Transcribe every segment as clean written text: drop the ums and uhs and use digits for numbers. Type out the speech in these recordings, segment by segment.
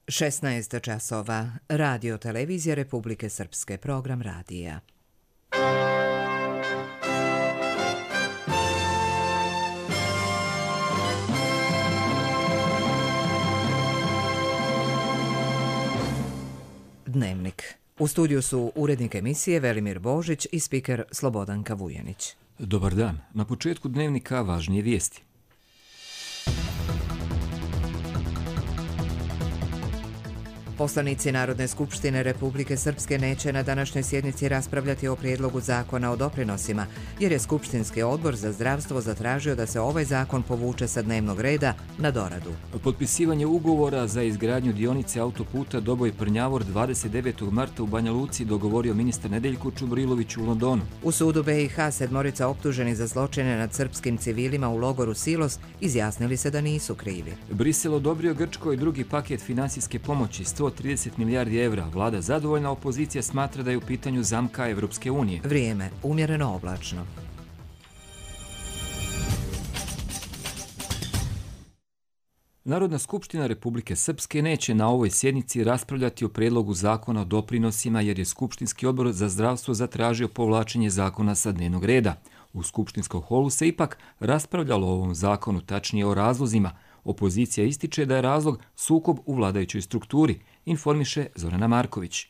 16 časova. Radio televizija Republike Srpske. Program radija. Dnevnik. U studiju su urednik emisije Velimir Božić i spiker Slobodanka Vujanić. Dobar dan. Na početku dnevnika važnije vijesti. Poslanici Narodne skupštine Republike Srpske neće na današnjoj sjednici raspravljati o prijedlogu zakona o doprinosima, jer je Skupštinski odbor za zdravstvo zatražio da se ovaj zakon povuče sa dnevnog reda na doradu. Potpisivanje ugovora za izgradnju dionice autoputa Doboj-Prnjavor 29. marta u Banja Luci dogovorio ministar Nedeljko Čubrilović u Londonu. U sudu BiH 7 optuženi za zločine nad srpskim civilima u logoru Silos izjasnili se da nisu krivi. Brisel odobrio Grčkoj drugi paket finansijske pomoći 130 milijardi evra. Vlada zadovoljna, opozicija smatra da je u pitanju zamka Evropske unije. Vrijeme umjereno oblačno. Narodna skupština Republike Srpske neće na ovoj sjednici raspravljati o prijedlogu zakona o doprinosima jer je Skupštinski odbor za zdravstvo zatražio povlačenje zakona sa dnevnog reda. U skupštinskom holu se ipak raspravljalo o ovom zakonu, tačnije o razlozima. Opozicija ističe da je razlog sukob u vladajućoj strukturi, informiše Zorana Marković.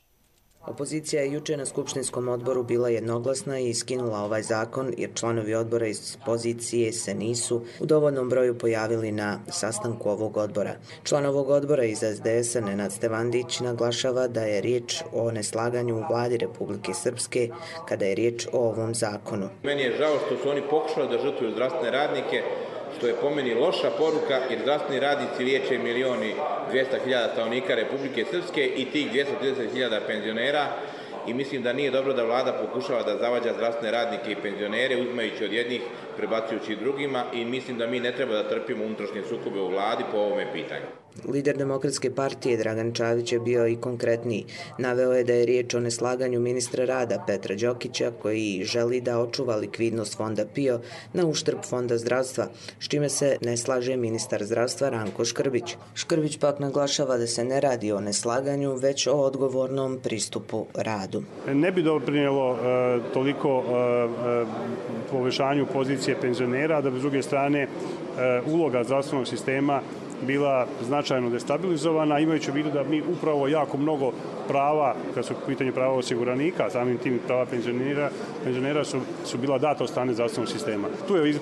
Opozicija je juče na Skupštinskom odboru bila jednoglasna i iskinula ovaj zakon jer članovi odbora iz pozicije se nisu u dovoljnom broju pojavili na sastanku ovog odbora. Član ovog odbora iz SDS-a Nenad Stevandić naglašava da je riječ o neslaganju u vladi Republike Srpske kada je riječ o ovom zakonu. Meni je žao što su oni pokušali da žrtvuju zdravstvene radnike, što je po meni loša poruka jer zdravstveni radnici liječe 1.200.000 stanovnika Republike Srpske i tih 230.000 penzionera i mislim da nije dobro da vlada pokušava da zavađa zdravstvene radnike i penzionere uzimajući od jednih, prebacujući drugima i mislim da mi ne treba da trpimo unutrašnje sukobe u vladi po ovome pitanju. Lider Demokratske partije Dragan Čavić je bio i konkretniji. Naveo je da je riječ o neslaganju ministra rada Petra Đokića koji želi da očuva likvidnost fonda PIO na uštrb fonda zdravstva, s čime se ne slaže ministar zdravstva Ranko Škrbić. Škrbić pak naglašava da se ne radi o neslaganju, već o odgovornom pristupu radu. Ne bi doprinijelo toliko povećanju pozicije penzionera, da bi s druge strane uloga zdravstvenog sistema bila značajno destabilizovana, imajući u vidu da mi upravo jako mnogo prava, kad su u pitanju prava osiguranika, samim tim prava penzionera su bila data od strane zdravstvenog sistema. Tu je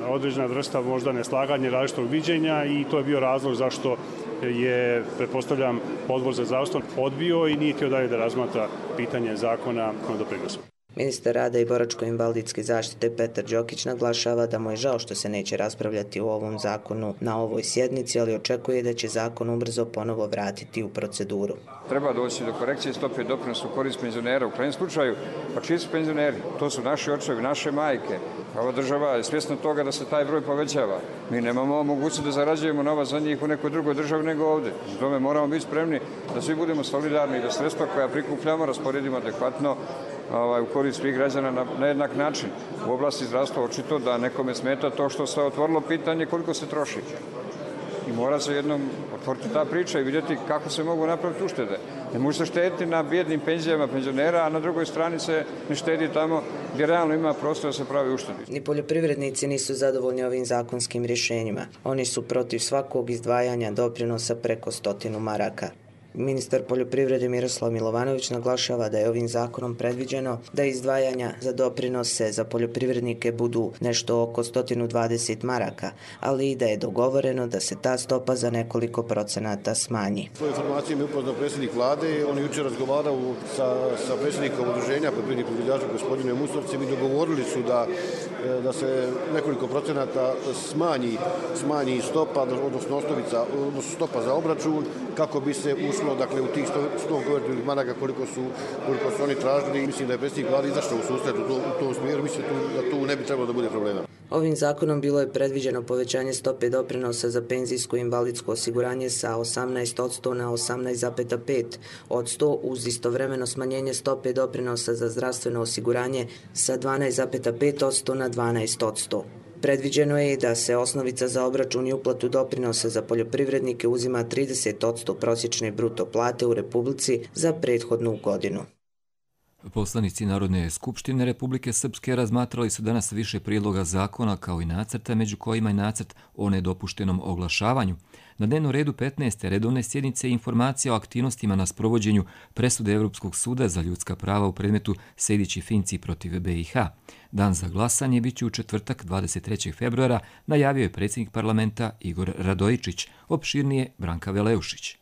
određena vrsta možda neslaganja, različitog viđenja i to je bio razlog zašto je, pretpostavljam, Odbor za zdravstvo odbio i nije htio dalje da razmatra pitanje zakona o doprinosu. Ministar rada i boračko-invalidske zaštite Petar Đokić naglašava da mu je žao što se neće raspravljati o ovom zakonu na ovoj sjednici, ali očekuje da će zakon ubrzo ponovo vratiti u proceduru. Treba doći do korekcije stope doprinosa u korist penzionera. U krajnjem slučaju, pa čiji su penzioneri? To su naši očevi, naše majke. Ova država je svjesna toga da se taj broj povećava. Mi nemamo mogućnost da zarađujemo novac za njih u nekoj drugoj državi nego ovdje. U tome moramo biti spremni da svi budemo solidarni i da sredstva koja prikupljamo rasporedimo adekvatno u korist svih građana na jednak način. U oblasti zdravstva očito da nekome smeta to što se otvorilo pitanje koliko se troši. I mora se jednom otvoriti ta priča i vidjeti kako se mogu napraviti uštede. Ne može se štediti na bijednim penzijama penzionera, a na drugoj strani se ne štedi tamo gdje realno ima prostor da se pravi uštedi. Ni poljoprivrednici nisu zadovoljni ovim zakonskim rješenjima. Oni su protiv svakog izdvajanja doprinosa preko 100 maraka. Ministar poljoprivrede Miroslav Milovanović naglašava da je ovim zakonom predviđeno da izdvajanja za doprinose za poljoprivrednike budu nešto oko 120 maraka, ali i da je dogovoreno da se ta stopa za nekoliko procenata smanji. Svoje informacije mi je upoznao predsjednik vlade, on je jučer razgovarao sa predsjednikom udruženja poljoprivrednih proizvođača gospodinom Musovcem i dogovorili su da se nekoliko procenata smanji stopa, odnosno stopa za obračun, kako bi se ušlo dakle u tih 100 konvertibilnih maraka koliko su oni tražili. Mislim da je predsjednik vlade izašao u susret u tom smjeru, mislim da tu ne bi trebalo da bude problema. Ovim zakonom bilo je predviđeno povećanje stope doprinosa za penzijsko i invalidsko osiguranje sa 18% na 18,5% uz istovremeno smanjenje stope doprinosa za zdravstveno osiguranje sa 12,5% na 12%. Predviđeno je da se osnovica za obračun i uplatu doprinosa za poljoprivrednike uzima 30% prosječne bruto plate u Republici za prethodnu godinu. Poslanici Narodne skupštine Republike Srpske razmatrali su danas više prijedloga zakona kao i nacrta, među kojima je nacrt o nedopuštenom oglašavanju. Na dnevnom redu 15. redovne sjednice informacija o aktivnostima na sprovođenju presude Europskog suda za ljudska prava u predmetu Sejdić i Finci protiv BiH. Dan za glasanje bit će u četvrtak 23. februara, najavio je predsjednik parlamenta Igor Radojičić, opširnije Branka Veleušić.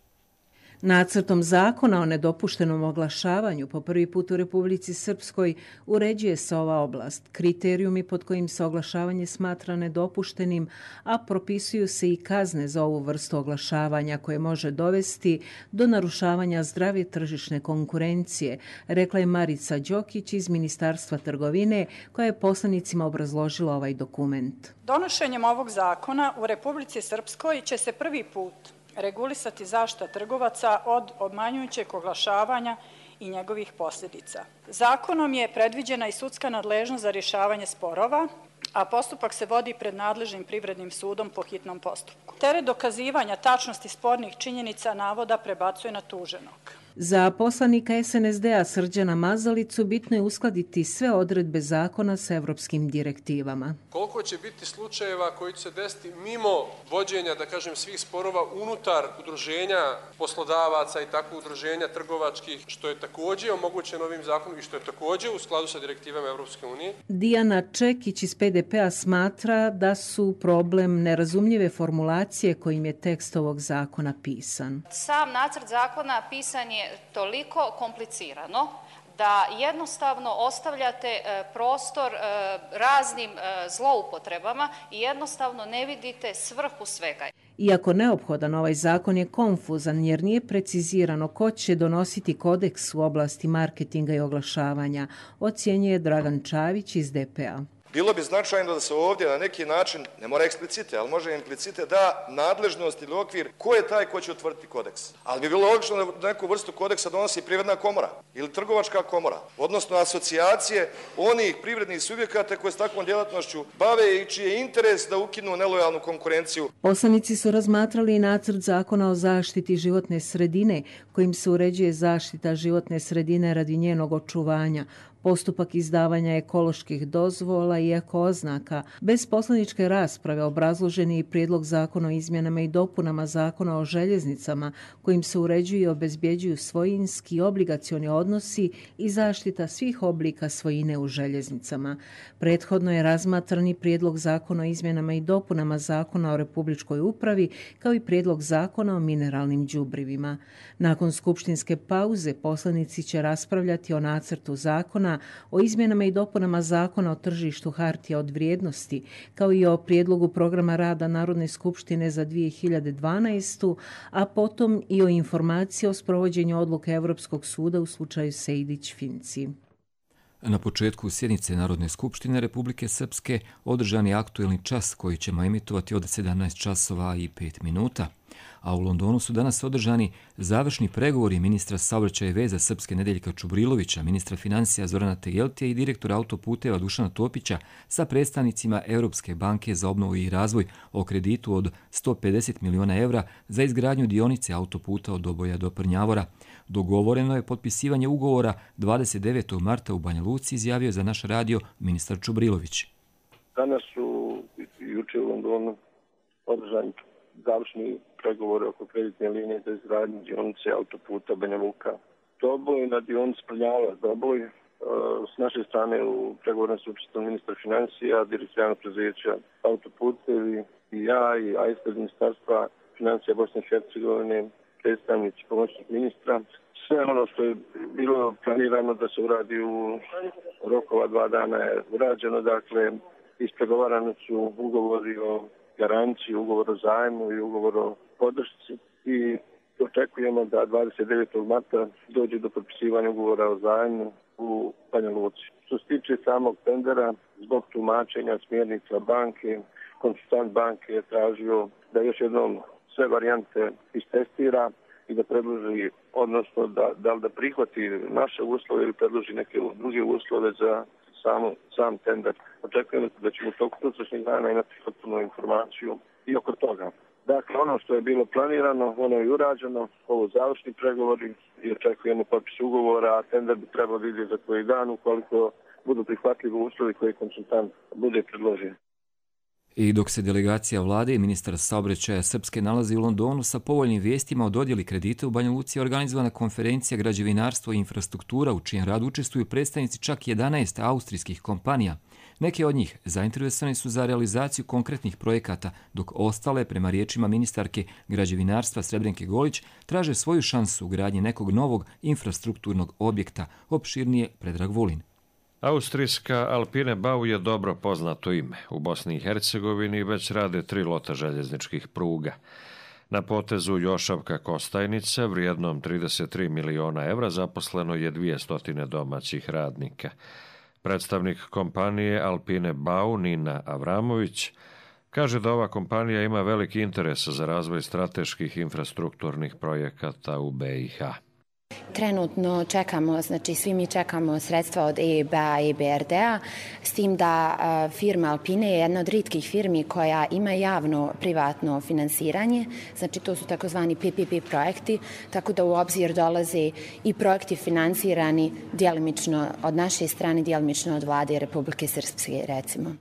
Nacrtom zakona o nedopuštenom oglašavanju po prvi put u Republici Srpskoj uređuje se ova oblast, kriterijumi pod kojim se oglašavanje smatra nedopuštenim, a propisuju se i kazne za ovu vrstu oglašavanja koje može dovesti do narušavanja zdrave tržišne konkurencije, rekla je Marica Đokić iz Ministarstva trgovine, koja je poslanicima obrazložila ovaj dokument. Donošenjem ovog zakona u Republici Srpskoj će se prvi put regulisati zaštita trgovaca od obmanjujućeg oglašavanja i njegovih posljedica. Zakonom je predviđena i sudska nadležnost za rješavanje sporova, a postupak se vodi pred nadležnim privrednim sudom po hitnom postupku. Teret dokazivanja tačnosti spornih činjenica navoda prebacuje na tuženog. Za poslanika SNSD-a Srđana Mazalicu bitno je uskladiti sve odredbe zakona sa evropskim direktivama. Koliko će biti slučajeva koji će se desiti mimo vođenja, da kažem, svih sporova unutar udruženja poslodavaca i tako udruženja trgovačkih, što je također omogućeno ovim zakonom i što je također u skladu sa direktivama Evropske unije. Dijana Čekić iz PDP-a smatra da su problem nerazumljive formulacije kojim je tekst ovog zakona pisan. Sam nacrt zakona pisan je toliko komplicirano da jednostavno ostavljate prostor raznim zloupotrebama i jednostavno ne vidite svrhu svega. Iako neophodan, ovaj zakon je konfuzan jer nije precizirano ko će donositi kodeks u oblasti marketinga i oglašavanja, ocjenjuje Dragan Čavić iz DP-a. Bilo bi značajno da se ovdje na neki način, ne mora eksplicite, ali može implicite, da nadležnost ili okvir ko je taj ko će utvrditi kodeks. Ali bi bilo logično da neku vrstu kodeksa donosi privredna komora ili trgovačka komora, odnosno asocijacije onih privrednih subjekata koje s takvom djelatnošću bave i čiji je interes da ukinu nelojalnu konkurenciju. Poslanici su razmatrali i nacrt zakona o zaštiti životne sredine, kojim se uređuje zaštita životne sredine radi njenog očuvanja, postupak izdavanja ekoloških dozvola i eko-oznaka. Bez poslaničke rasprave obrazložen je i prijedlog zakona o izmjenama i dopunama zakona o željeznicama, kojim se uređuju i obezbjeđuju svojinski i obligacioni odnosi i zaštita svih oblika svojine u željeznicama. Prethodno je razmatran i prijedlog zakona o izmjenama i dopunama zakona o republičkoj upravi, kao i prijedlog zakona o mineralnim đubrivima. Nakon skupštinske pauze poslanici će raspravljati o nacrtu zakona o izmjenama i dopunama zakona o tržištu hartija od vrijednosti, kao i o prijedlogu programa rada Narodne skupštine za 2012. a potom i o informaciji o sprovođenju odluke Evropskog suda u slučaju Sejdić-Finci. Na početku sjednice Narodne skupštine Republike Srpske održan je aktuelni čas koji ćemo emitovati od 17 časova i 5 minuta. A u Londonu su danas održani završni pregovori ministra saobraćaja i veza Srpske Nedeljka Čubrilovića, ministra financija Zorana Tegeltija i direktora autoputeva Dušana Topića sa predstavnicima Europske banke za obnovu i razvoj o kreditu od 150 miliona evra za izgradnju dionice autoputa od Doboja do Prnjavora. Dogovoreno je potpisivanje ugovora 29. marta u Banja Luci, izjavio za naš radio ministar Čubrilović. Danas su juče u Londonu održani završni pregovori oko kreditne linije za izgradnju dionice autoputa Banja Luka Doboj na dionici Prnjavora Doboj. S naše strane u pregovornom su učestvovali ministar financija, direktor javnog preduzeća autoputevi i ja i ispred ministarstva financija Bosne i Hercegovine, predstavnici pomoćnik ministra. Sve ono što je bilo planirano da se uradi u rokova 2 dana je urađeno, dakle ispregovarani su ugovori o garanciji, ugovor o zajmu i ugovor o podršci i očekujemo da 29. marta dođe do potpisivanja ugovora o zajmu u Banja Luci. Što se tiče samog tendera, zbog tumačenja smjernica banke, konsultant banke je tražio da još jednom sve varijante istestira i da predloži, odnosno da prihvati naše uslove ili predloži neke druge uslove za sam tender. Očekujemo da ćemo u toku sutrašnjeg dana imati potpunu informaciju i oko toga. Dakle, ono što je bilo planirano, ono je urađeno, ovo završni pregovori i očekujemo potpis ugovora, a tender bi trebalo vidjeti za koji dan ukoliko budu prihvatljivi uslovi koji konsultant bude predložio. I dok se delegacija vlade i ministar saobraćaja Srpske nalazi u Londonu sa povoljnim vijestima o dodjeli kredita u Banja Luci, je organizovana konferencija Građevinarstvo i infrastruktura u čijem radu učestvuju predstavnici čak 11 austrijskih kompanija. Neke od njih zainteresovane su za realizaciju konkretnih projekata, dok ostale, prema riječima ministarke građevinarstva Srebrenke Golić, traže svoju šansu u gradnji nekog novog infrastrukturnog objekta, opširnije Predrag Vulin. Austrijska Alpine Bau je dobro poznato ime. U Bosni i Hercegovini već rade 3 lota željezničkih pruga. Na potezu Jošavka-Kostajnica, vrijednom 33 miliona evra, zaposleno je 200 domaćih radnika. Predstavnik kompanije Alpine Bau, Nina Avramović, kaže da ova kompanija ima veliki interes za razvoj strateških infrastrukturnih projekata u BiH. Trenutno čekamo, znači svi mi čekamo sredstva od EIB-a i EBRD-a, s tim da firma Alpine je jedna od rijetkih firmi koja ima javno-privatno finansiranje, znači to su takozvani PPP projekti, tako da u obzir dolaze i projekti finansirani djelimično od naše strane, djelimično od vlade Republike Srpske, recimo.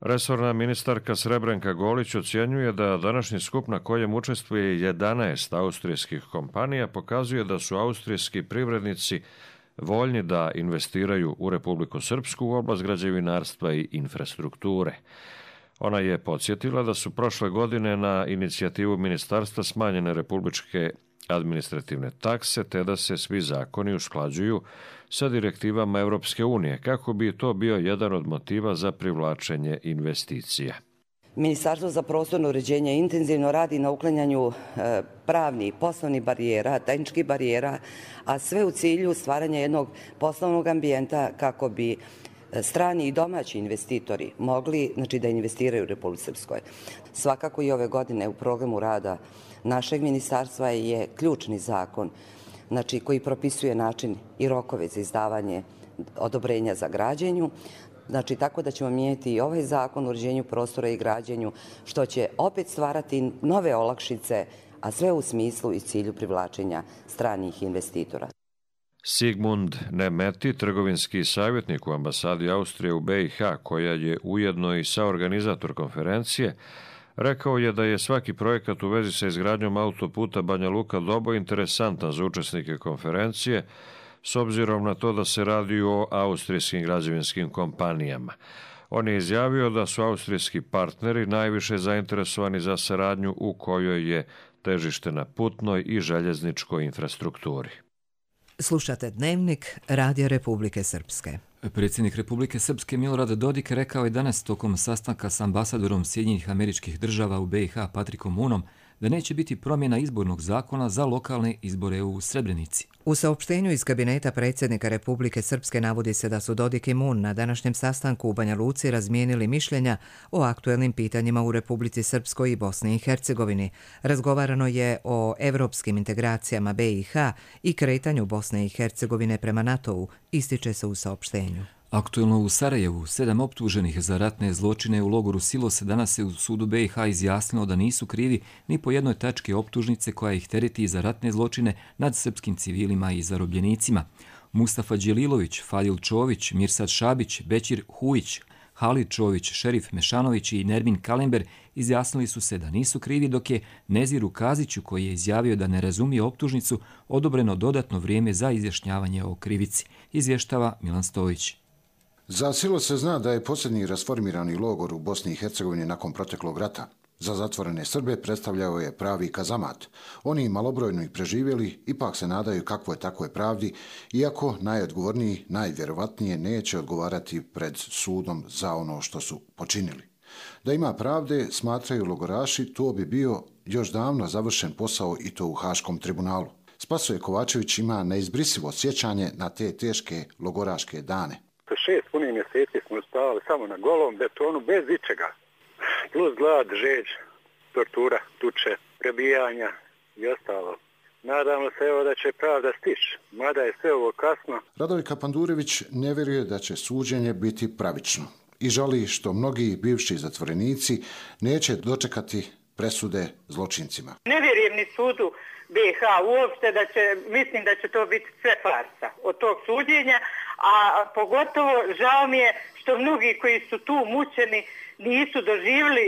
Resorna ministarka Srebrenka Golić ocjenjuje da današnji skup na kojem učestvuje 11 austrijskih kompanija pokazuje da su austrijski privrednici voljni da investiraju u Republiku Srpsku u oblast građevinarstva i infrastrukture. Ona je podsjetila da su prošle godine na inicijativu ministarstva smanjene republičke administrativne takse, te da se svi zakoni usklađuju sa direktivama Europske unije, kako bi to bio jedan od motiva za privlačenje investicija. Ministarstvo za prostorno uređenje intenzivno radi na uklanjanju pravnih, poslovnih barijera, tehničkih barijera, a sve u cilju stvaranja jednog poslovnog ambijenta kako bi strani i domaći investitori mogli da investiraju u Republici Srpskoj. Svakako i ove godine u programu rada našeg ministarstva je ključni zakon koji propisuje način i rokove za izdavanje odobrenja za građenju. Tako da ćemo mijenjati i ovaj zakon o uređenju prostora i građenju, što će opet stvarati nove olakšice, a sve u smislu i cilju privlačenja stranih investitora. Sigmund Nemeti, trgovinski savjetnik u ambasadi Austrije u BiH, koja je ujedno i saorganizator konferencije, rekao je da je svaki projekat u vezi sa izgradnjom autoputa Banja Luka-Doboj interesantan za učesnike konferencije, s obzirom na to da se radi o austrijskim građevinskim kompanijama. On je izjavio da su austrijski partneri najviše zainteresovani za saradnju u kojoj je težište na putnoj i željezničkoj infrastrukturi. Slušate Dnevnik Radija Republike Srpske. Predsjednik Republike Srpske Milorad Dodik rekao je danas tokom sastanka s ambasadorom Sjedinjenih Američkih Država u BiH Patrikom Moonom da neće biti promjena izbornog zakona za lokalne izbore u Srebrenici. U saopštenju iz kabineta predsjednika Republike Srpske navodi se da su Dodik i Moon na današnjem sastanku u Banja Luci razmijenili mišljenja o aktuelnim pitanjima u Republici Srpskoj i Bosni i Hercegovini. Razgovarano je o evropskim integracijama BiH i kretanju Bosne i Hercegovine prema NATO-u, ističe se u saopštenju. Aktuelno u Sarajevu 7 optuženih za ratne zločine u logoru Silos danas se u sudu BiH izjasnilo da nisu krivi ni po jednoj tački optužnice koja ih tereti za ratne zločine nad srpskim civilima i zarobljenicima. Mustafa Đelilović, Fadil Čović, Mirsad Šabić, Bećir Hujić, Halid Čović, Šerif Mešanović i Nermin Kalember izjasnili su se da nisu krivi, dok je Neziru Kaziću, koji je izjavio da ne razumije optužnicu, odobreno dodatno vrijeme za izjašnjavanje o krivici, izvještava Milan Stojić. Za Silos se zna da je posljednji rasformirani logor u Bosni i Hercegovini nakon proteklog rata. Za zatvorene Srbe predstavljao je pravi kazamat. Oni malobrojno ih preživjeli ipak se nadaju kakvoj takvoj pravdi, iako najodgovorniji, najvjerovatnije neće odgovarati pred sudom za ono što su počinili. Da ima pravde, smatraju logoraši, to bi bio još davno završen posao i to u Haškom tribunalu. Spasoje Kovačević ima neizbrisivo sjećanje na te teške logoraške dane. 6 punih mjeseci smo spavali samo na golom betonu, bez ičega. Plus glad, žeđ, tortura, tuče, prebijanja i ostalo. Nadamo se evo da će pravda stići, mada je sve ovo kasno. Radovika Pandurević ne vjeruje da će suđenje biti pravično i žali što mnogi bivši zatvorenici neće dočekati presude zločincima. Ne vjerujem ni sudu BiH uopšte mislim da će to biti sve farsa od tog suđenja, a pogotovo žao mi je što mnogi koji su tu mučeni nisu doživjeli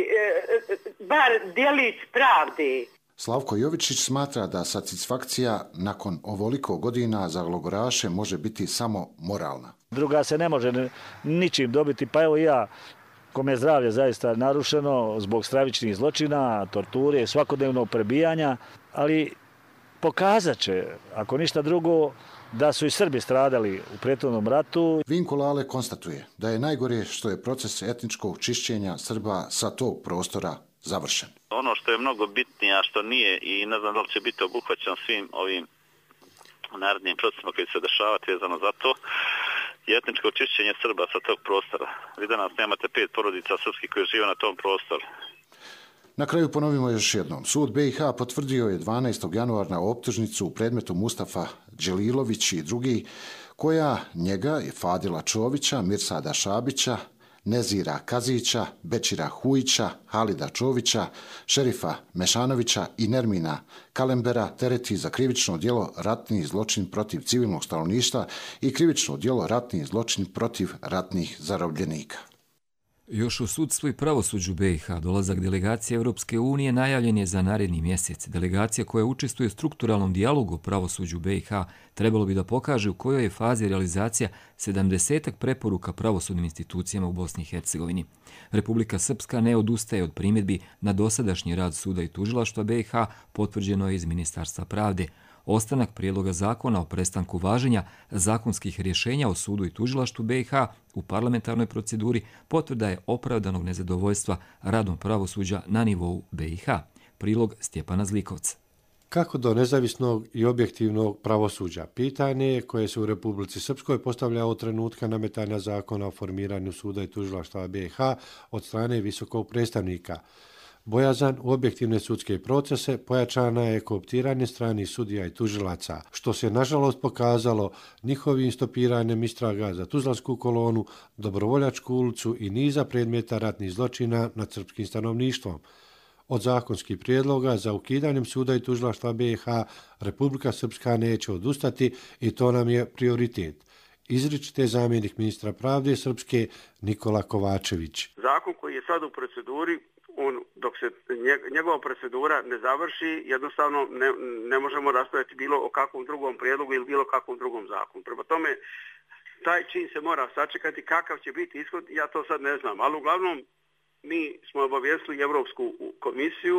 bar djelić pravde. Slavko Jovičić smatra da satisfakcija nakon ovoliko godina za logoraše može biti samo moralna. Druga se ne može ničim dobiti, pa evo ja, kome je zdravlje zaista narušeno zbog stravičnih zločina, torture, svakodnevnog prebijanja, ali pokazat će, ako ništa drugo, da su i Srbi stradali u prethodnom ratu. Vinko Lale konstatuje da je najgore što je proces etničkog čišćenja Srba sa tog prostora završen. Ono što je mnogo bitnije, a što nije i ne znam da li će biti obuhvaćeno svim ovim narednim procesima koji se dešavati vezano za to, je etničko čišćenje Srba sa tog prostora. Vi danas nemate 5 porodica srpskih koji žive na tom prostoru. Na kraju ponovimo još jednom. Sud BiH potvrdio je 12. januara optužnicu u predmetu Mustafa Đelilović i drugi, koja njega je Fadila Čovića, Mirsada Šabića, Nezira Kazića, Bećira Hujića, Halida Čovića, Šerifa Mešanovića i Nermina Kalembera tereti za krivično djelo ratni zločin protiv civilnog stanovništva i krivično djelo ratni zločin protiv ratnih zarobljenika. Još u sudstvu i pravosuđu BiH dolazak delegacije Europske unije najavljen je za naredni mjesec. Delegacija koja učestvuje u strukturalnom dijalogu o pravosuđu BiH trebalo bi da pokaže u kojoj je fazi realizacija 70-ak preporuka pravosudnim institucijama u Bosni i Hercegovini. Republika Srpska ne odustaje od primjedbi na dosadašnji rad suda i tužilaštva BiH, potvrđeno je iz Ministarstva pravde. Ostanak prijedloga zakona o prestanku važenja zakonskih rješenja o sudu i tužilaštvu BiH u parlamentarnoj proceduri potvrda je opravdanog nezadovoljstva radom pravosuđa na nivou BiH. Prilog Stjepana Zlikovca. Kako do nezavisnog i objektivnog pravosuđa? Pitanje koje se u Republici Srpskoj postavlja od trenutka nametanja zakona o formiranju suda i tužilaštva BiH od strane visokog predstavnika. Bojazan u objektivne sudske procese pojačana je kooptiranje stranih sudija i tužilaca, što se nažalost pokazalo njihovim stopiranjem istraga za Tuzlansku kolonu, Dobrovoljačku ulicu i niza predmeta ratnih zločina nad srpskim stanovništvom. Od zakonskih prijedloga za ukidanjem suda i tužilaštva BiH Republika Srpska neće odustati i to nam je prioritet. Izričite zamjenik ministra pravde Srpske Nikola Kovačević. Zakon koji je sad u proceduri, dok se njegova procedura ne završi, jednostavno ne možemo raspraviti bilo o kakvom drugom prijedlogu ili bilo kakvom drugom zakonu. Prema tome, taj čin se mora sačekati, kakav će biti ishod, ja to sad ne znam. Ali uglavnom, mi smo obavijestili Europsku komisiju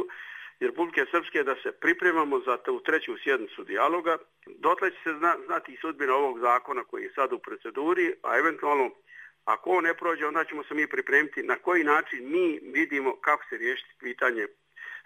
i Republike Srpske da se pripremamo za tu treću sjednicu dijaloga. Dotle će se znati i sudbina ovog zakona koji je sad u proceduri, a eventualno ako on ne prođe, onda ćemo se mi pripremiti na koji način mi vidimo kako se riješiti pitanje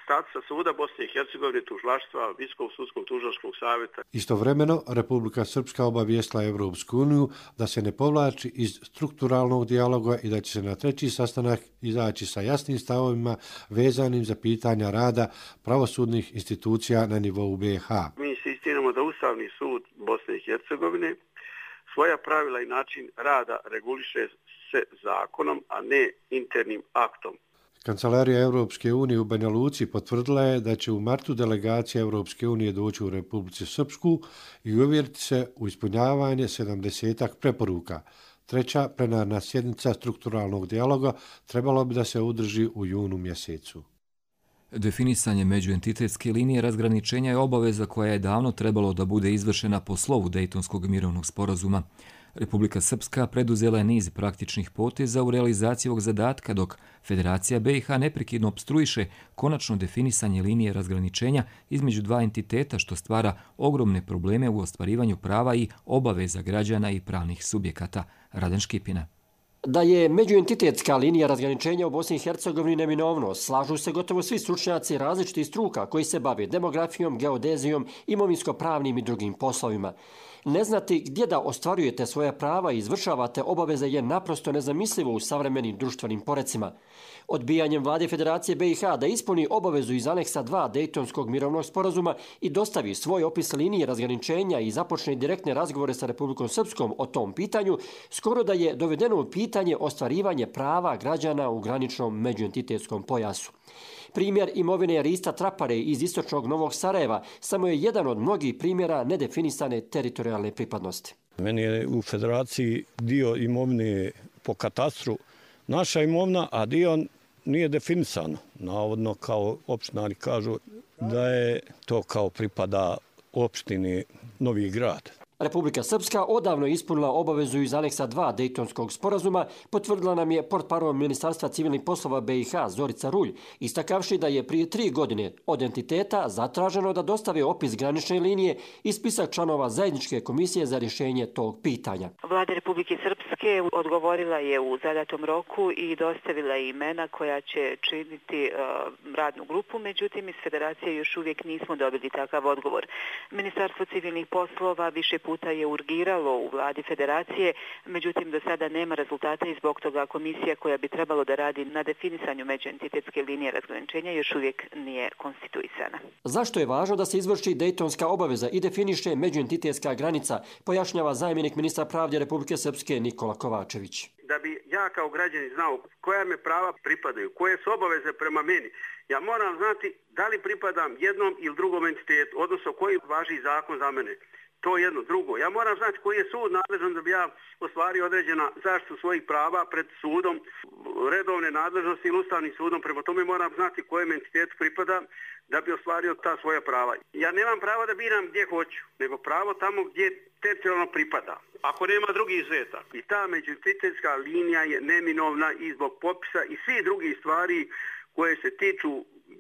statusa suda Bosne i Hercegovine, tužilaštva, Visokog sudskog tužilačkog savjeta. Istovremeno, Republika Srpska obavijestila Evropsku uniju da se ne povlači iz strukturalnog dijaloga i da će se na treći sastanak izaći sa jasnim stavovima vezanim za pitanja rada pravosudnih institucija na nivou BiH. Mi insistiramo da Ustavni sud Bosne i Hercegovine svoja pravila i način rada reguliše se zakonom, a ne internim aktom. Kancelarija Europske unije u Banja Luci potvrdila je da će u martu delegacija Europske unije doći u Republici Srpsku i uvjeriti se u ispunjavanje 70-ak preporuka. Treća plenarna sjednica strukturalnog dijaloga trebalo bi da se održi u junu mjesecu. Definisanje međuentitetske linije razgraničenja je obaveza koja je davno trebalo da bude izvršena po slovu Dejtonskog mirovnog sporazuma. Republika Srpska preduzela je niz praktičnih poteza u realizaciji ovog zadatka, dok Federacija BiH neprekidno opstruiše konačno definisanje linije razgraničenja između dva entiteta, što stvara ogromne probleme u ostvarivanju prava i obaveza građana i pravnih subjekata. Raden Škipina. Da je međuentitetska linija razgraničenja u Bosni i Hercegovini neminovno, slažu se gotovo svi stručnjaci različitih struka koji se bave demografijom, geodezijom, imovinsko-pravnim i drugim poslovima. Ne znati gdje da ostvarujete svoja prava i izvršavate obaveze je naprosto nezamislivo u savremenim društvenim porecima. Odbijanjem vlade Federacije BiH da ispuni obavezu iz aneksa 2 Dejtonskog mirovnog sporazuma i dostavi svoj opis linije razgraničenja i započne direktne razgovore sa Republikom Srpskom o tom pitanju, skoro da je dovedeno u pitanje ostvarivanje prava građana u graničnom međuentitetskom pojasu. Primjer imovine Rista Trapare iz istočnog Novog Sarajeva samo je jedan od mnogih primjera nedefinisane teritorijalne pripadnosti. Meni je u Federaciji dio imovine po katastru naša imovina, a dio nije definisan. Navodno kao opštinari kažu da je to kao pripada opštini Novi Grad. Republika Srpska odavno je ispunila obavezu iz aneksa 2 Dejtonskog sporazuma, potvrdila nam je portparol Ministarstva civilnih poslova BiH Zorica Rulj, istakavši da je prije 3 godine od entiteta zatraženo da dostave opis granične linije i spisak članova zajedničke komisije za rješenje tog pitanja. Vlada Republike Srpske odgovorila je u zadatom roku i dostavila imena koja će činiti radnu grupu, međutim iz Federacije još uvijek nismo dobili takav odgovor. Ministarstvo civilnih poslova više puta je urgiralo u vladi Federacije, međutim do sada nema rezultata i zbog toga komisija koja bi trebalo da radi na definisanju međuentitetske linije razgraničenja još uvijek nije konstituisana. Zašto je važno da se izvrši Dejtonska obaveza i definiše međuentitetska granica, pojašnjava zamjenik ministra pravde Republike Srpske Nikola Kovačević. Da bi ja kao građanin znao koja me prava pripadaju, koje su obaveze prema meni, ja moram znati da li pripadam jednom ili drugom entitetu, odnosno koji važi zakon za mene. To je jedno. Drugo, ja moram znati koji je sud nadležan da bi ja ostvario određena zaštitu svojih prava pred sudom, redovne nadležnosti ili ustavnim sudom. Prema tome moram znati kojem entitetu pripadam da bi ostvario ta svoja prava. Ja nemam pravo da biram gdje hoću, nego pravo tamo gdje teritorijalno pripada. Ako nema drugi izuzetak. I ta međuentitetska linija je neminovna i zbog popisa i svih drugih stvari koje se tiču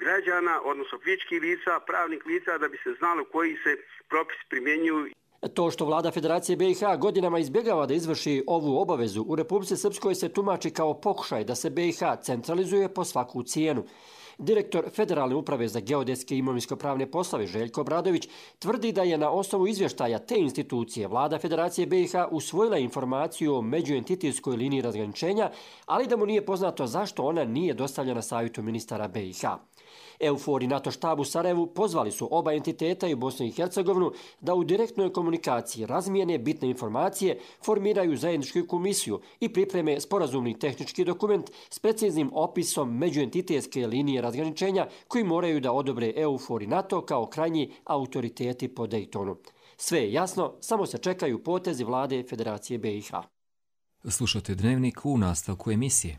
građana, odnosno fizičkih lica, pravnih lica, da bi se znalo koji se propisi primjenjuju. To što vlada Federacije BiH godinama izbjegava da izvrši ovu obavezu, u Republici Srpskoj se tumači kao pokušaj da se BiH centralizuje po svaku cijenu. Direktor Federalne uprave za geodetske i imovinsko-pravne poslove Željko Obradović tvrdi da je na osnovu izvještaja te institucije vlada Federacije BiH usvojila informaciju o međuentitetskoj liniji razgraničenja, ali da mu nije poznato zašto ona nije dostavljena savjetu ministara BiH. EUFOR i NATO štab u Sarajevu pozvali su oba entiteta i Bosnu i Hercegovinu da u direktnoj komunikaciji razmijene bitne informacije, formiraju zajedničku komisiju i pripreme sporazumni tehnički dokument s preciznim opisom međuentitetske linije razgraničenja koji moraju da odobre EUFOR i NATO kao krajnji autoriteti po Dejtonu. Sve je jasno, samo se čekaju potezi vlade Federacije BiH. Slušate Dnevnik u nastavku emisije.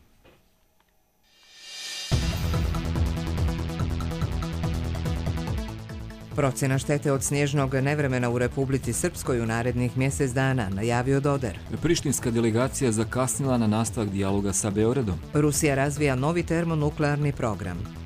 Procjena štete od snježnog nevremena u Republici Srpskoj u narednih mjesec dana, najavio Doder. Prištinska delegacija zakasnila na nastavak dijaloga sa Beogradom. Rusija razvija novi termonuklearni program.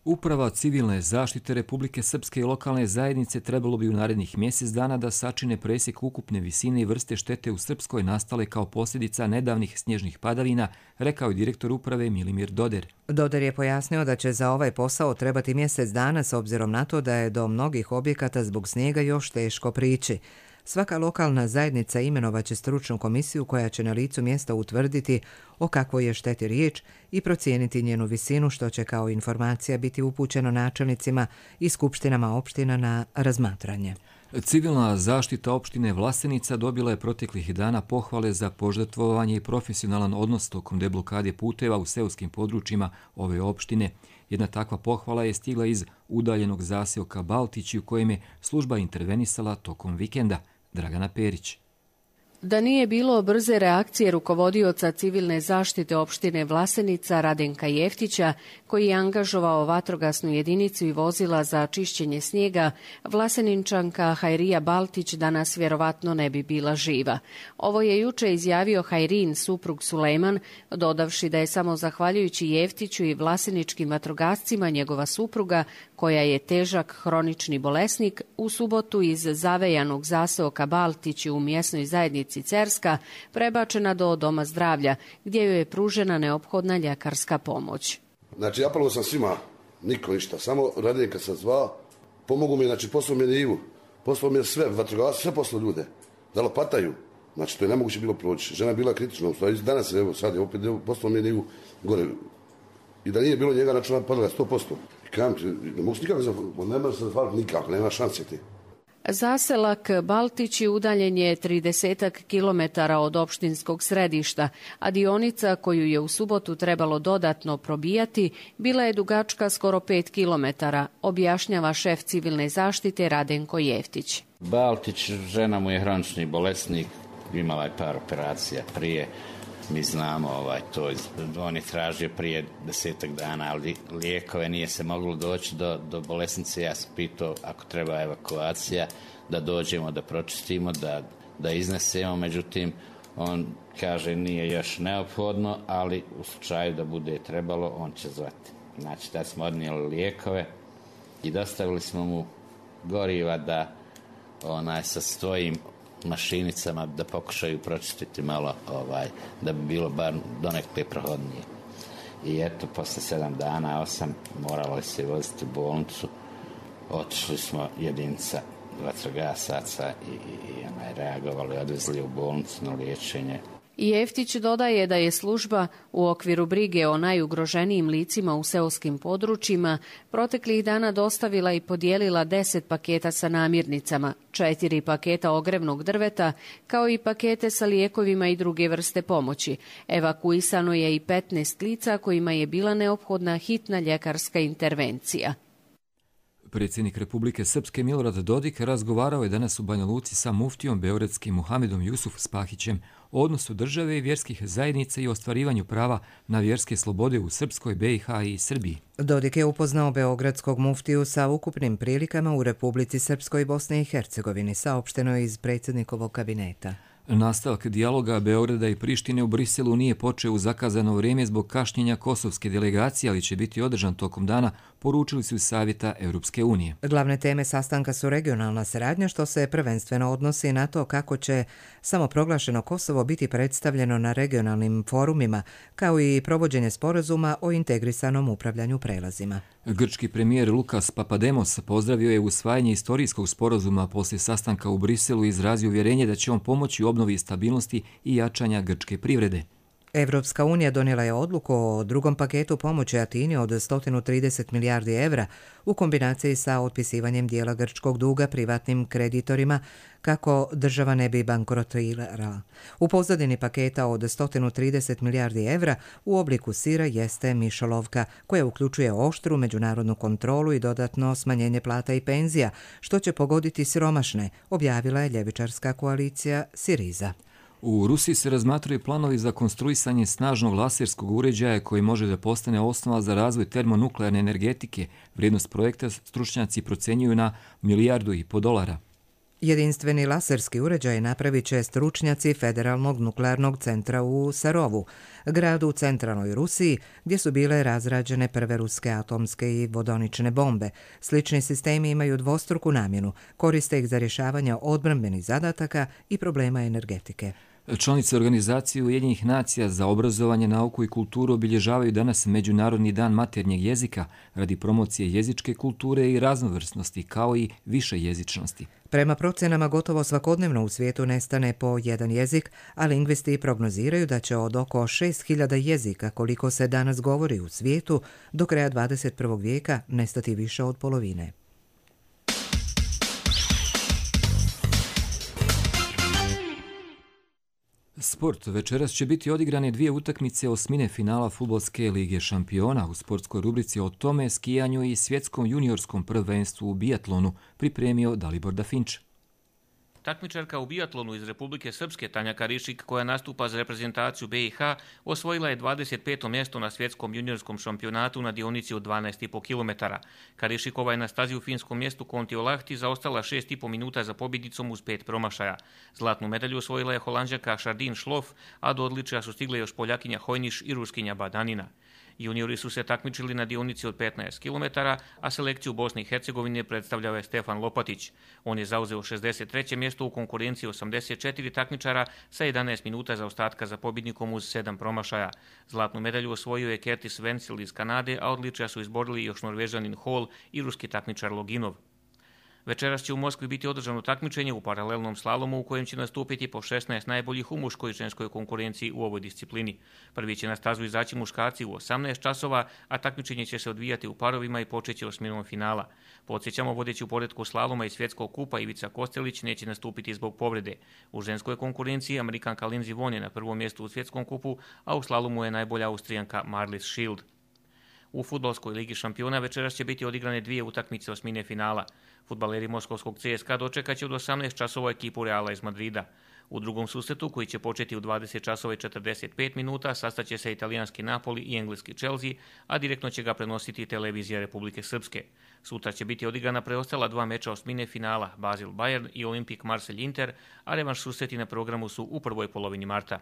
Uprava civilne zaštite Republike Srpske i lokalne zajednice trebalo bi u narednih mjesec dana da sačine presjek ukupne visine i vrste štete u Srpskoj nastale kao posljedica nedavnih snježnih padavina, rekao je direktor uprave Milimir Doder. Doder je pojasnio da će za ovaj posao trebati mjesec dana s obzirom na to da je do mnogih objekata zbog snijega još teško prići. Svaka lokalna zajednica imenovaće stručnu komisiju koja će na licu mjesta utvrditi o kakvoj je šteti riječ i procijeniti njenu visinu, što će kao informacija biti upućeno načelnicima i skupštinama opština na razmatranje. Civilna zaštita opštine Vlasenica dobila je proteklih dana pohvale za požrtvovanje i profesionalan odnos tokom deblokade puteva u seoskim područjima ove opštine. Jedna takva pohvala je stigla iz udaljenog zaseoka Baltići u kojem je služba intervenisala tokom vikenda. Dragana Perić. Da nije bilo brze reakcije rukovodioca civilne zaštite opštine Vlasenica Radenka Jeftića, koji je angažovao vatrogasnu jedinicu i vozila za čišćenje snijega, Vlaseninčanka Hajrija Baltić danas vjerovatno ne bi bila živa. Ovo je juče izjavio Hajrin, suprug Sulejman, dodavši da je samo zahvaljujući Jeftiću i vlaseničkim vatrogascima njegova supruga, koja je težak hronični bolesnik, u subotu iz zavejanog zaseoka Baltići u mjesnoj zajednici Cerska prebačena do doma zdravlja, gdje joj je pružena neophodna ljekarska pomoć. Znači, apelovao sam svima, niko ništa, samo Radenka sam zvao, pomogu mi, znači poslao mi je Ivu, poslao mi je sve, vatrogasci, sve poslao ljude, da lopataju, Znači, to je nemoguće bilo proći. Žena je bila kritična, u stvari danas, evo, sad je opet postalo mi je gore. I da nije bilo njega, znači ona padala 100%. I kajem, ne mogu se nikako, ne može se zahvaliti nikako, nema šanse ti. Zaselak Baltići udaljen je 30 kilometara od opštinskog središta, a dionica koju je u subotu trebalo dodatno probijati bila je dugačka skoro 5 kilometara, objašnjava šef civilne zaštite Radenko Jeftić. Baltić, žena mu je hronični bolesnik, imala je par operacija prije. Mi znamo to, on je tražio prije 10 dana, ali lijekove nije se moglo doći do bolesnice. Ja sam pitao ako treba evakuacija, da dođemo, da pročistimo, da iznesemo. Međutim, on kaže nije još neophodno, ali u slučaju da bude trebalo, on će zvati. Znači, da smo odnijeli lijekove i dostavili smo mu goriva da sa svojim mašinicama da pokušaju pročistiti malo, da bi bilo bar donekle prohodnije. I eto, posle 7 dana, 8, moralo se voziti u bolnicu. Otišli smo jedinica vatrogasaca i reagovali, odvezli u bolnicu na liječenje. Jeftić dodaje da je služba u okviru brige o najugroženijim licima u seoskim područjima proteklih dana dostavila i podijelila 10 paketa sa namirnicama, 4 paketa ogrevnog drveta, kao i pakete sa lijekovima i druge vrste pomoći. Evakuisano je i 15 lica kojima je bila neophodna hitna ljekarska intervencija. Predsjednik Republike Srpske Milorad Dodik razgovarao je danas u Banja Luci sa muftijom beogradskim Muhamedom Jusuf Spahićem o odnosu države i vjerskih zajednica i ostvarivanju prava na vjerske slobode u Srpskoj, BiH i Srbiji. Dodik je upoznao beogradskog muftiju sa ukupnim prilikama u Republici Srpskoj, Bosni i Hercegovini, saopšteno je iz predsjednikovog kabineta. Nastavak dijaloga Beograda i Prištine u Briselu nije počeo u zakazano vrijeme zbog kašnjenja kosovske delegacije, ali će biti održan tokom dana, poručili su iz Savjeta Europske unije. Glavne teme sastanka su regionalna saradnja, što se prvenstveno odnosi na to kako će samoproglašeno Kosovo biti predstavljeno na regionalnim forumima, kao i provođenje sporazuma o integrisanom upravljanju prelazima. Grčki premijer Lukas Papademos pozdravio je usvajanje istorijskog sporazuma poslije sastanka u Briselu i izrazio uvjerenje da će on pomoći obnovi stabilnosti i jačanja grčke privrede. Evropska unija donijela je odluku o drugom paketu pomoći Atini od 130 milijardi evra u kombinaciji sa otpisivanjem dijela grčkog duga privatnim kreditorima kako država ne bi bankrotirala. U pozadini paketa od 130 milijardi evra u obliku sira jeste mišolovka koja uključuje oštru međunarodnu kontrolu i dodatno smanjenje plata i penzija, što će pogoditi siromašne, objavila je ljevičarska koalicija Siriza. U Rusiji se razmatraju planovi za konstruisanje snažnog laserskog uređaja koji može da postane osnova za razvoj termonuklearne energetike. Vrijednost projekta stručnjaci procenjuju na $1,5 milijardi. Jedinstveni laserski uređaj napravit će stručnjaci Federalnog nuklearnog centra u Sarovu, gradu u centralnoj Rusiji, gdje su bile razrađene prve ruske atomske i vodonične bombe. Slični sistemi imaju dvostruku namjenu, koriste ih za rješavanje odbrambenih zadataka i problema energetike. Članice Organizacije Ujedinjenih nacija za obrazovanje, nauku i kulturu obilježavaju danas Međunarodni dan maternjeg jezika radi promocije jezičke kulture i raznovrsnosti, kao i višejezičnosti. Prema procenama gotovo svakodnevno u svijetu nestane po jedan jezik, a lingvisti prognoziraju da će od oko 6.000 jezika koliko se danas govori u svijetu do kraja 21. vijeka nestati više od polovine. Sport. Večeras će biti odigrane 2 utakmice osmine finala Fudbalske lige šampiona. U sportskoj rubrici o tome, skijanju i svjetskom juniorskom prvenstvu u biatlonu pripremio Dalibor Dafinč. Takmičarka u biatlonu iz Republike Srpske Tanja Karišik, koja nastupa za reprezentaciju BiH, osvojila je 25. mjesto na svjetskom juniorskom šampionatu na dionici od 12,5 km. Karišikova je na stazi u finskom mjestu Kontiolahti zaostala 6,5 minuta za pobjednicom uz 5 promašaja. Zlatnu medalju osvojila je Holanđanka Šardin Šlof, a do odličja su stigle još Poljakinja Hojniš i Ruskinja Badanina. Juniori su se takmičili na dionici od 15 km, a selekciju Bosne i Hercegovine predstavljao je Stefan Lopatić. On je zauzeo 63. mjesto u konkurenciji 84 takmičara sa 11 minuta zaostatka za pobjednikom uz 7 promašaja. Zlatnu medalju osvojio je Curtis Wenzel iz Kanade, a odličja su izborili još Norvežanin Hall i ruski takmičar Loginov. Večeras će u Moskvi biti održano takmičenje u paralelnom slalomu u kojem će nastupiti po 16 najboljih u muškoj i ženskoj konkurenciji u ovoj disciplini. Prvi će na stazu izaći muškarci u 18 časova, a takmičenje će se odvijati u parovima i počeće osminom finala. Podsjećamo, vodeći u poretku slaloma i svjetskog kupa Ivica Kostelić neće nastupiti zbog povrede. U ženskoj konkurenciji Amerikanka Lindsey Vonn je na prvom mjestu u svjetskom kupu, a u slalomu je najbolja Austrijanka Marlies Schild. U fudbalskoj ligi šampiona večeras će biti odigrane 2 utakmice osmine finala. Fudbaleri moskovskog CSKA dočekat će od 18 časova ekipu Reala iz Madrida. U drugom susretu, koji će početi u 20 časova i 45 minuta, sastaće se italijanski Napoli i engleski Chelsea, a direktno će ga prenositi televizija Republike Srpske. Sutra će biti odigrana preostala 2 meča osmine finala, Basel Bayern i Olimpik Marselj Inter, a revanš susreti na programu su u prvoj polovini marta.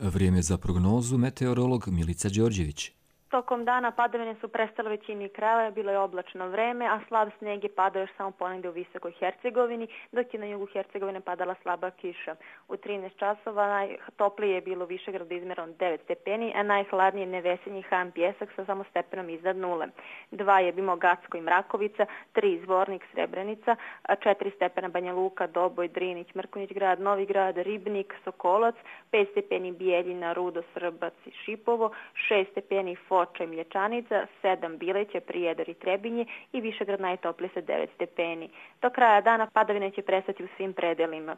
Vrijeme za prognozu, meteorolog Milica Đorđević. Tokom dana padavine su prestale većini krajeva, bilo je oblačno vreme, a slab snijeg je padao još samo ponegdje u Visokoj Hercegovini, dok je na jugu Hercegovine padala slaba kiša. U 13 časova najtoplije je bilo u Višegradu izmjereno 9 stepeni, a najhladnije Nevesinji Han Pjesak sa samo stepenom iznad nule. 2 je Bimo Gacko i Mrakovica, 3 Zvornik Srebrenica, 4 stepena Banja Luka, Doboj, Drinić, Mrkonjić grad, Novi grad, Ribnik, Sokolac, 5 stepeni Bijeljina, Rudo, Srbac i Šipovo, 6 stepeni Foča i Mlječanica, 7 Bileće, Prijedor i Trebinje i Višegrad najtoplije sa 9 stepeni. Do kraja dana padavine će prestati u svim predelima.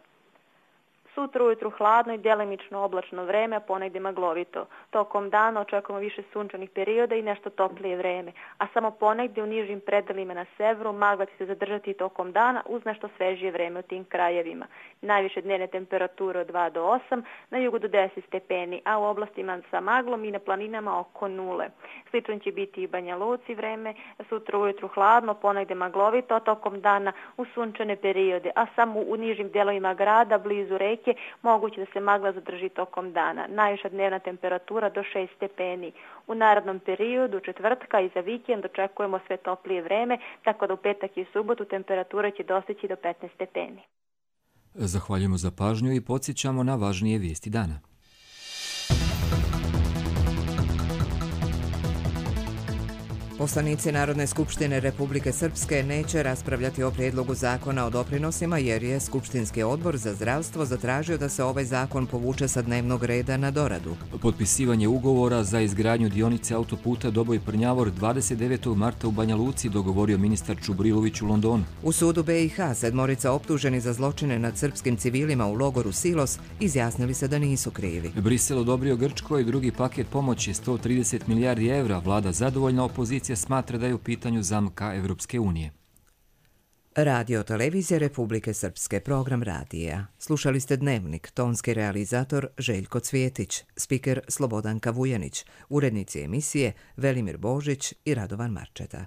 Sutra ujutru hladno i djelimično oblačno vreme, a ponegdje maglovito. Tokom dana očekujemo više sunčanih perioda i nešto toplije vreme, a samo ponegdje u nižim predelima na severu magla će se zadržati tokom dana uz nešto svežije vreme u tim krajevima. Najviše dnevne temperature od 2 do 8, na jugu do 10 stepeni, a u oblastima sa maglom i na planinama oko 0. Slično će biti i Banja Luci vreme, sutra ujutru hladno, ponegdje maglovito, tokom dana u sunčane periode, a samo u nižim dijelovima grada, blizu reke, moguće da se magla zadrži tokom dana. Najviša dnevna temperatura do 6 stepeni. U narednom periodu, četvrtka i za vikend očekujemo sve toplije vreme, tako da u petak i subotu temperatura će dostići do 15 stepeni. Zahvaljujemo za pažnju i podsjećamo na važnije vijesti dana. Poslanici Narodne skupštine Republike Srpske neće raspravljati o prijedlogu zakona o doprinosima jer je Skupštinski odbor za zdravstvo zatražio da se ovaj zakon povuče sa dnevnog reda na doradu. Potpisivanje ugovora za izgradnju dionice autoputa Doboj-Prnjavor 29. marta u Banja Luci dogovorio ministar Čubrilović u Londonu. U sudu BiH 7 optuženi za zločine nad srpskim civilima u logoru Silos izjasnili se da nisu krivi. Brisel odobrio Grčkoj drugi paket pomoći 130 milijardi evra. Vlada zadovoljna, opozicija smatra da je u pitanju zamka Evropske unije. Radio televizija Republike Srpske, program radija. Slušali ste Dnevnik, tonski realizator Željko Cvjetić, spiker Slobodanka Vujanić, urednici emisije Velimir Božić i Radovan Marčeta.